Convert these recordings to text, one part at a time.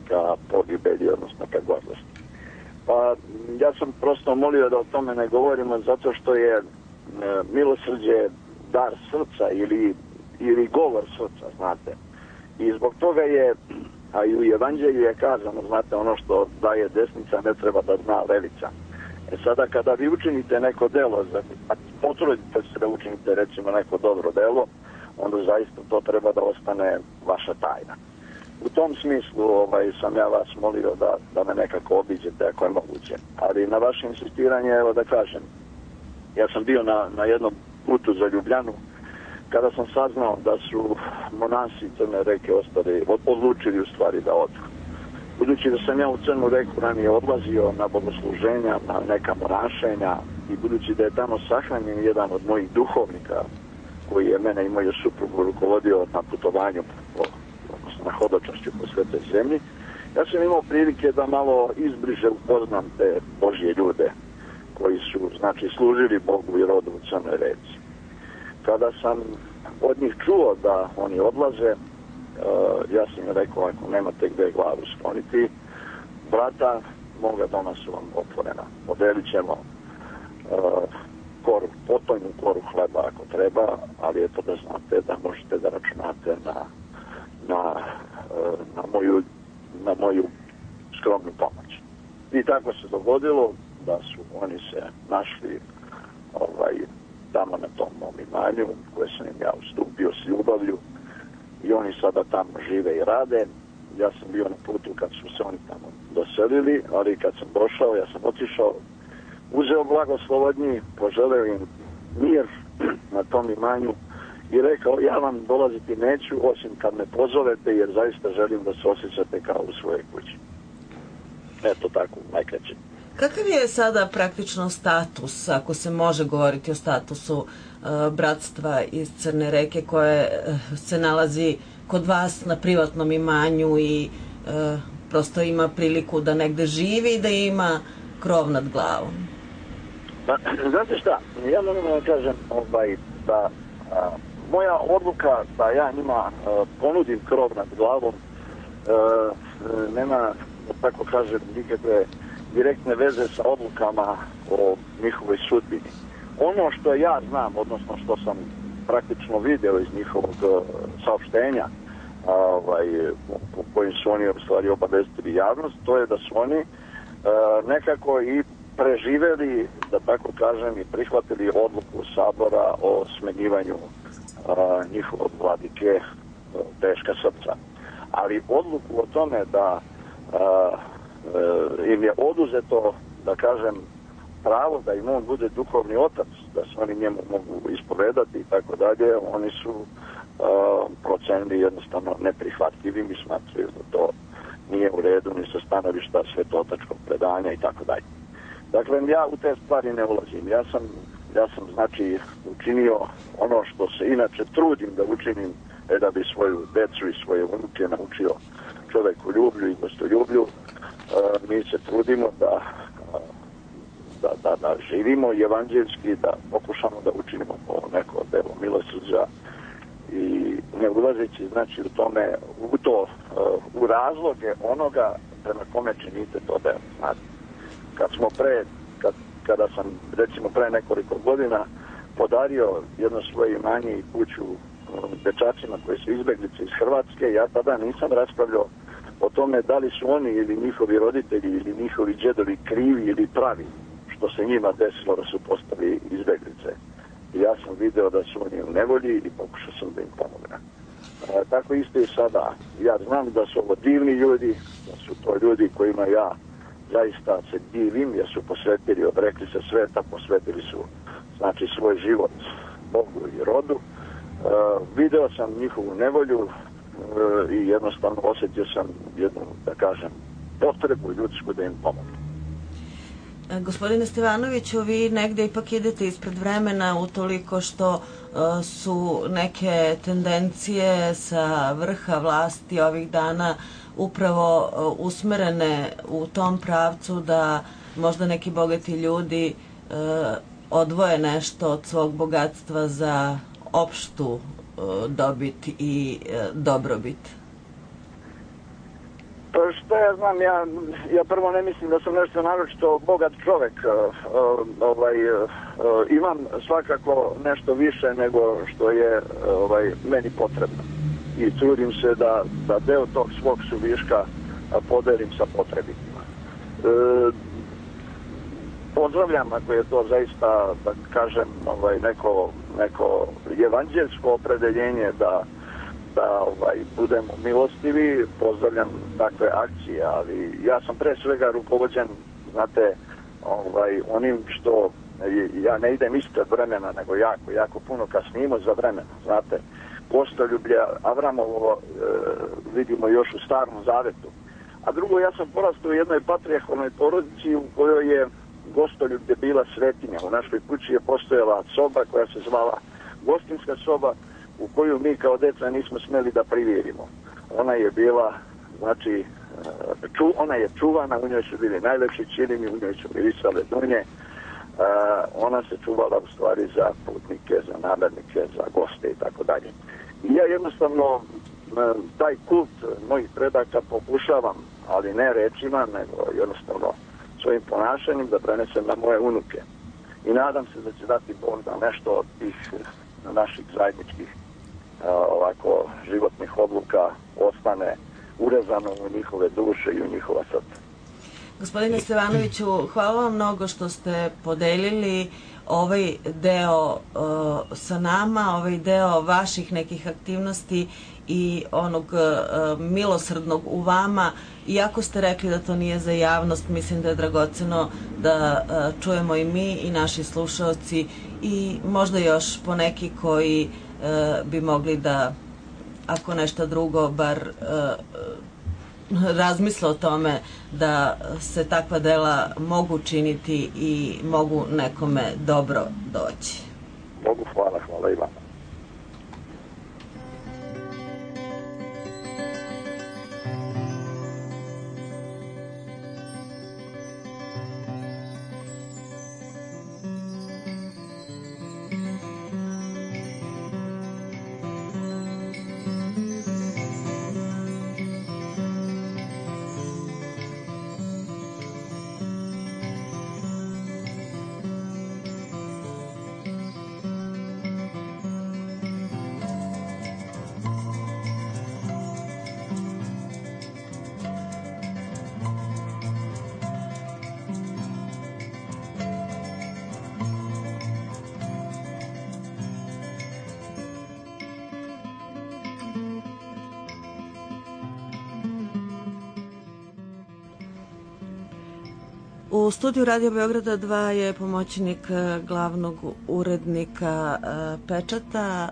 ka pogibelji, odnosno ka gordosti. Pa ja sam prosto molio da o tome ne govorimo zato što je milosrđe dar srca ili govor srca, znate. I zbog toga je, a i u Evanđelju je kazano, znate, ono što daje desnica ne treba da zna levica. Sada kada vi učinite neko delo, a potrudite se da učinite recimo neko dobro delo, onda zaista to treba da ostane vaša tajna. U tom smislu sam ja vas molio da me nekako obiđete ako je moguće. Ali na vaše insistiranje, evo da kažem, ja sam bio na jednom putu za Ljubljanu kada sam saznao da su monasi Crne Reke odlučili u stvari da odu. Budući da sam ja u Crnu Reku ranije odlazio na bogosluženja, na neka monašenja i budući da je tamo sahranjen jedan od mojih duhovnika koji je mene i moju suprugu rukovodio na putovanju na hodočašću po svetoj zemlji, ja sam imao prilike da malo izbliže upoznam te Božje ljude koji su, znači, služili Bogu i rodu u Crnoj Reci. Kada sam od njih čuo da oni odlaze, ja sam im rekao, ako nemate gde glavu skloniti, vrata moga doma su vam otvorena. Podelit ćemo potojnu koru hleba ako treba, ali eto da znate da možete da računate na moju skromnu pomoć. I tako se dogodilo da su oni se našli tamo na tom mom imanju koje sam im ja ustupio s ljubavlju i oni sada tamo žive i rade. Ja sam bio na putu kad su se oni tamo doselili, ali kad sam došao, ja sam otišao, uzeo blagoslov od njih, poželeo im mir na tom imanju i rekao, ja vam dolaziti neću osim kad me pozovete jer zaista želim da se osjećate kao u svojoj kući. Eto tako, najkraće. Kakav je sada praktično status, ako se može govoriti o statusu bratstva iz Crne Reke koje se nalazi kod vas na privatnom imanju i prosto ima priliku da negde živi i da ima krov nad glavom? Pa, znate šta, ja moram da kažem da moja odluka da ja njima ponudim krov nad glavom nema, da tako kažem, nikakve direktne veze sa odlukama o njihovoj sudbini. Ono što ja znam, odnosno što sam praktično video iz njihovog saopštenja po kojim su oni u stvari obavestili javnost, to je da su oni nekako i preživeli, da tako kažem, i prihvatili odluku Sabora o smenjivanju njihovog vladike Teška srca. Ali odluku o tome da im je oduzeto, da kažem, pravo da im on bude duhovni otac, da se oni njemu mogu ispovedati i tako dalje, oni su procenili jednostavno neprihvatljivim i smatraju da to nije u redu ni sa stanovišta svetotačkog predanja i tako dalje. Dakle, ja u te stvari ne ulazim. Ja sam znači učinio ono što se inače trudim da učinim, da bi svoju decu i svoje unuke naučio čovekoljublju i gostoljublju. Mi se trudimo da živimo evanđeljski, da pokušamo da učinimo neko delo milosrđa i ne ulazeći znači u tome, u razloge onoga prema kome činite to delo. Znate, kada sam recimo pre nekoliko godina podario jedno svoje imanje i kuću dečacima koji su izbeglice iz Hrvatske, ja tada nisam raspravljao o tome da li su oni ili njihovi roditelji ili njihovi džedovi krivi ili pravi što se njima desilo da su postali izbeglice. I ja sam video da su oni u nevolji i pokušao sam da im pomognem. Tako isto i sada. Ja znam da su ovo divni ljudi, da su to ljudi kojima ja zaista se divim jer su posvetili, odrekli se sveta, posvetili su znači svoj život Bogu i rodu. Video sam njihovu nevolju i jednostavno osjetio sam jednu, da kažem, potrebu ljudsku da im pomogu. Gospodine Stevanoviću, vi negde ipak idete ispred vremena utoliko što su neke tendencije sa vrha vlasti ovih dana upravo usmerene u tom pravcu da možda neki bogati ljudi odvoje nešto od svog bogatstva za opštu dobit i dobrobit. Pa što ja znam, ja prvo ne mislim da sam nešto naročito bogat čovek. Imam svakako nešto više nego što je meni potrebno. I trudim se da deo tog svog suviška podelim sa potrebitima. Pozdravljam ako je to zaista, da kažem, neko evanđelsko opredeljenje da budemo milostivi, pozdravljam takve akcije, ali ja sam pre svega rukovođen, znate, onim što ja ne idem ispred vremena, nego jako puno kasnimo za vremena, znate. Gostoljublje Avramovo vidimo još u Starom Zavetu. A drugo, ja sam porastao u jednoj patrijarhalnoj porodici u kojoj je gostoljublje bila svetinja. U našoj kući je postojala soba koja se zvala gostinska soba, u koju mi kao deca nismo smeli da privirimo. Ona je bila, znači, ona je čuvana, u njoj su bili najlepši čilimi, u njoj su mirisale dunje. Ona se čuvala u stvari za putnike, za namernike, za goste i tako dalje. I ja jednostavno taj kult mojih predaka pokušavam, ali ne rečima, nego jednostavno svojim ponašanjem da prenesem na moje unuke. I nadam se da će dati Bog da nešto od tih naših zajedničkih ovako životnih odluka ostane urezano u njihove duše i u njihova srca. Gospodine Stevanoviću, hvala vam mnogo što ste podelili ovaj deo sa nama, ovaj deo vaših nekih aktivnosti i onog milosrdnog u vama. Iako ste rekli da to nije za javnost, mislim da je dragoceno da čujemo i mi i naši slušaoci i možda još poneki koji bi mogli da, ako nešto drugo, bar razmisle o tome da se takva dela mogu činiti i mogu nekome dobro doći. Bogu hvala i vama. U studiju Radio Beograda 2 je pomoćnik glavnog urednika Pečata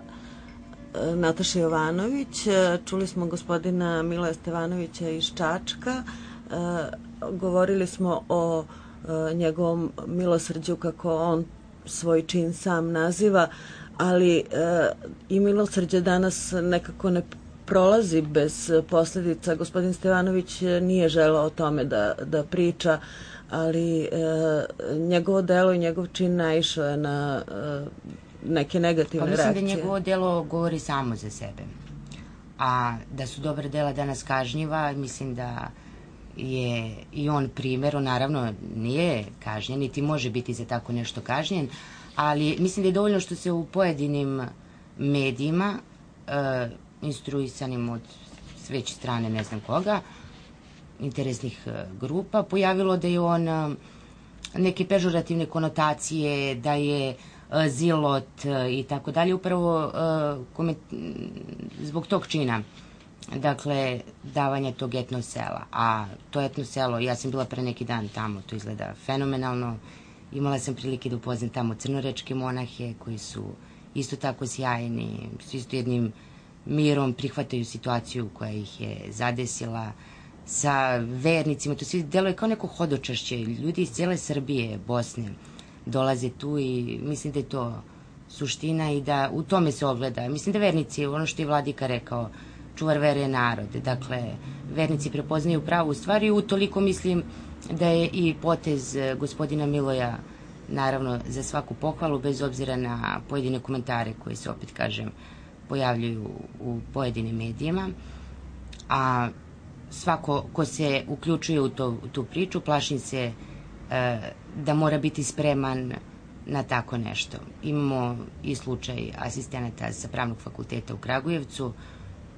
Nataša Jovanović. Čuli smo gospodina Miloja Stevanovića iz Čačka. Govorili smo o njegovom milosrđu, kako on svoj čin sam naziva, ali i milosrđe danas nekako ne prolazi bez posledica. Gospodin Stevanović nije želeo o tome da priča, ali njegovo delo i njegov čin naišao je na neke negativne reakcije. Mislim da njegovo delo govori samo za sebe. A da su dobra dela danas kažnjiva, mislim da je i on primjer. On naravno nije kažnjen, niti može biti za tako nešto kažnjen, ali mislim da je dovoljno što se u pojedinim medijima, instruisanim od sveće strane ne znam koga, interesnih grupa, pojavilo da je on neke pežorativne konotacije, da je zilot i tako dalje, upravo zbog tog čina, dakle, davanja tog etno sela. A to etno selo, ja sam bila pre neki dan tamo, to izgleda fenomenalno, imala sam prilike da upoznam tamo crnorečke monahe koji su isto tako sjajni, s isto jednim mirom prihvataju situaciju koja ih je zadesila, sa vernicima, to svi deluje kao neko hodočašće. Ljudi iz cijele Srbije, Bosne dolaze tu i mislim da je to suština i da u tome se ogleda. Mislim da vernici, ono što je Vladika rekao, čuvar vere je narod. Dakle, vernici prepoznaju pravu stvar i utoliko mislim da je i potez gospodina Miloja naravno za svaku pohvalu, bez obzira na pojedine komentare koji se, opet kažem, pojavljuju u pojedinim medijima. A svako ko se uključuje u tu priču, plašim se da mora biti spreman na tako nešto. Imamo i slučaj asistenata sa Pravnog fakulteta u Kragujevcu,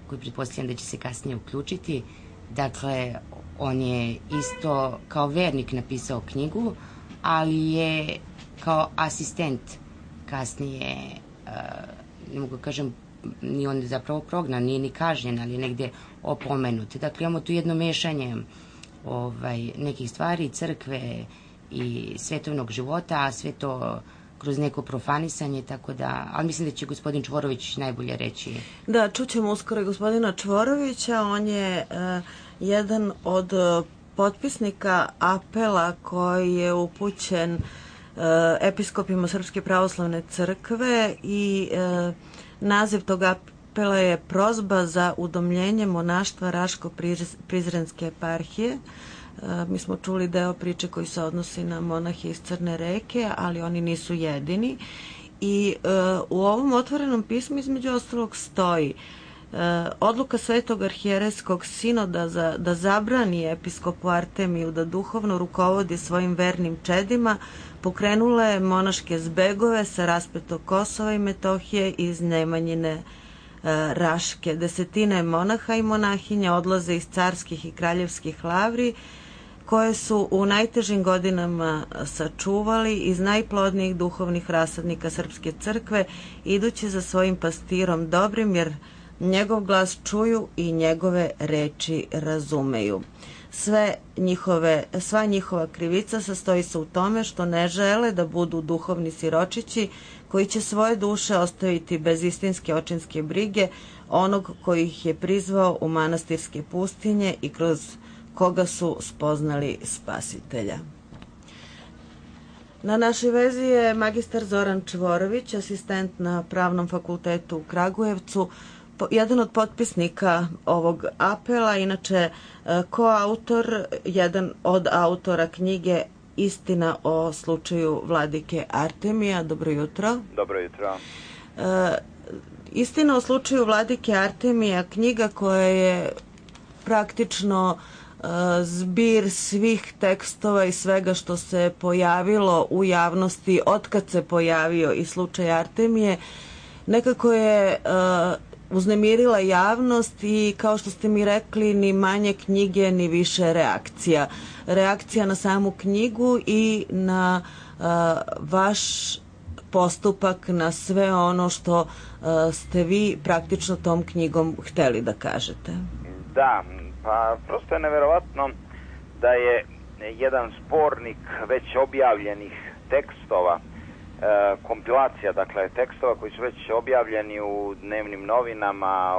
koji pretpostavljam da će se kasnije uključiti. Dakle, on je isto kao vernik napisao knjigu, ali je kao asistent kasnije, ne mogu kažem, ni on je zapravo prognan, nije ni kažnjen, ali je negde opomenut. Dakle, imamo tu jedno mešanje nekih stvari, crkve i svetovnog života, a sve to kroz neko profanisanje, tako da, ali mislim da će gospodin Čvorović najbolje reći. Da, čućemo uskoro i gospodina Čvorovića, on je jedan od potpisnika apela koji je upućen episkopima Srpske pravoslavne crkve i naziv tog apela je prozba za udomljenje monaštva Raško-Prizrenske eparhije. Mi smo čuli deo priče koji se odnosi na monahe iz Crne reke, ali oni nisu jedini. I u ovom otvorenom pismu između ostalog stoji odluka Svetog arhijerejskog sinoda da zabrani episkopu Artemiju da duhovno rukovodi svojim vernim čedima pokrenula je monaške zbegove sa raspetog Kosova i Metohije iz Nemanjine Raške. Desetine monaha i monahinja odlaze iz carskih i kraljevskih lavri koje su u najtežim godinama sačuvali iz najplodnijih duhovnih rasadnika Srpske crkve, idući za svojim pastirom dobrim, jer njegov glas čuju i njegove reči razumeju. Sva njihova krivica sastoji se u tome što ne žele da budu duhovni siročići koji će svoje duše ostaviti bez istinske očinske brige onog koji ih je prizvao u manastirske pustinje i kroz koga su spoznali Spasitelja. Na našoj vezi je magistar Zoran Čvorović, asistent na Pravnom fakultetu u Kragujevcu, jedan od potpisnika ovog apela, inače koautor, jedan od autora knjige Istina o slučaju vladike Artemija. Dobro jutro. Dobro jutro. Istina o slučaju vladike Artemija, knjiga koja je praktično zbir svih tekstova i svega što se pojavilo u javnosti otkad se pojavio i slučaj Artemije, nekako je uznemirila javnost i, kao što ste mi rekli, ni manje knjige ni više reakcija. Reakcija na samu knjigu i na vaš postupak, na sve ono što ste vi praktično tom knjigom hteli da kažete. Da, pa prosto je neverovatno da je jedan spornik već objavljenih tekstova, kompilacija, dakle tekstova koji su već objavljeni u dnevnim novinama,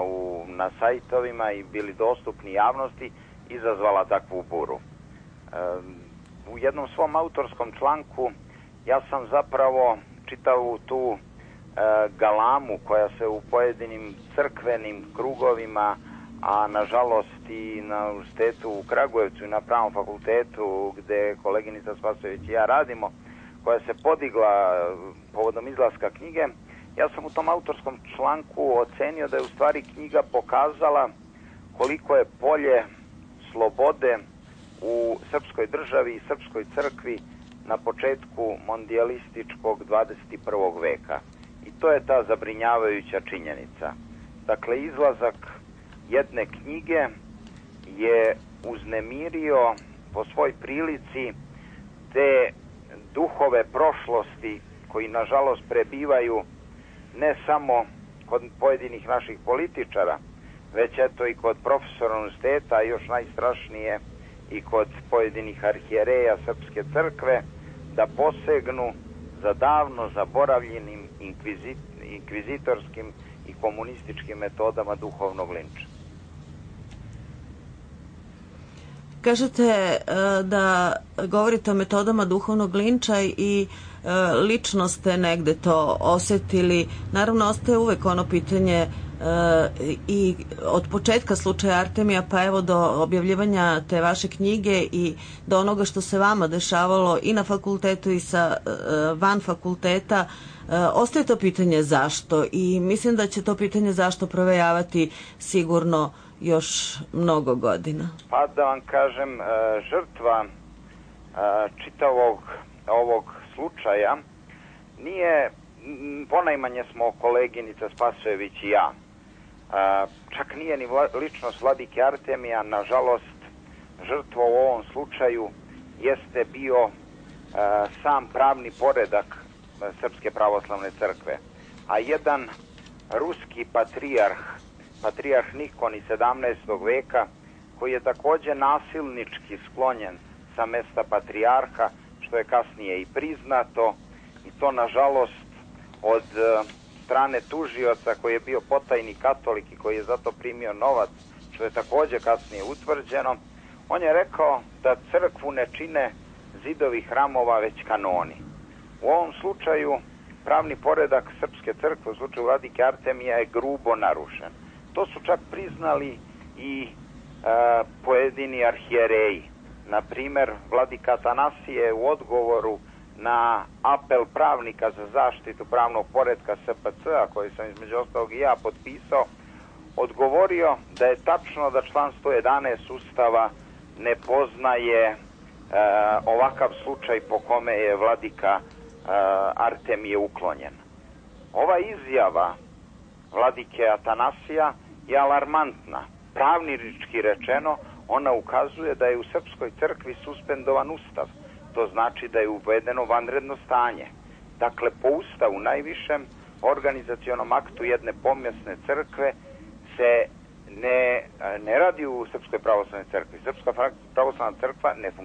na sajtovima i bili dostupni javnosti, izazvala takvu buru. U jednom svom autorskom članku ja sam zapravo čitao tu galamu koja se u pojedinim crkvenim krugovima, a nažalost i na univerzitetu u Kragujevcu i na Pravnom fakultetu gde koleginica Spasojević i ja radimo, koja se podigla povodom izlaska knjige, ja sam u tom autorskom članku ocenio da je u stvari knjiga pokazala koliko je polje slobode u srpskoj državi i srpskoj crkvi na početku mondijalističkog 21. veka. I to je ta zabrinjavajuća činjenica. Dakle, izlazak jedne knjige je uznemirio po svoj prilici te duhove prošlosti koji nažalost prebivaju ne samo kod pojedinih naših političara, već eto i kod profesora univerziteta, a još najstrašnije i kod pojedinih arhijereja Srpske crkve, da posegnu za davno zaboravljenim inkvizitorskim i komunističkim metodama duhovnog linča. Kažete da govorite o metodama duhovnog linča i lično ste negde to osetili. Naravno, ostaje uvek ono pitanje i od početka slučaja Artemija pa evo do objavljivanja te vaše knjige i do onoga što se vama dešavalo i na fakultetu i van fakulteta, ostaje to pitanje zašto, i mislim da će to pitanje zašto provejavati sigurno još mnogo godina? Pa da vam kažem, žrtva čitavog ovog slučaja nije, ponajmanje smo koleginica Spasojević i ja. Čak nije ni ličnost vladike Artemija, nažalost, žrtva u ovom slučaju jeste bio sam pravni poredak Srpske pravoslavne crkve. A jedan ruski patrijarh Nikon iz 17. veka, koji je takođe nasilnički sklonjen sa mesta patrijarha, što je kasnije i priznato, i to nažalost od strane tužioca koji je bio potajni katolik i koji je zato primio novac, što je takođe kasnije utvrđeno. On je rekao da crkvu ne čine zidovi hramova, već kanoni. U ovom slučaju pravni poredak Srpske crkve, u slučaju vladike Artemija, je grubo narušen. To su čak priznali i pojedini arhijereji. Na primer, vladika Atanasije u odgovoru na apel pravnika za zaštitu pravnog poretka SPC-a, koji sam između ostalog i ja potpisao, odgovorio da je tačno da član 111 Ustava ne poznaje ovakav slučaj po kome je vladika Artemije uklonjen. Ova izjava vladike Atanasija je alarmantna. Pravnički rečeno, ona ukazuje da je u Srpskoj crkvi suspendovan Ustav. To znači da je uvedeno vanredno stanje. Dakle, po Ustavu, najvišem organizacionom aktu jedne pomjesne crkve, se ne radi u Srpskoj pravoslavnoj crkvi. Srpska pravoslavna crkva ne funkcionira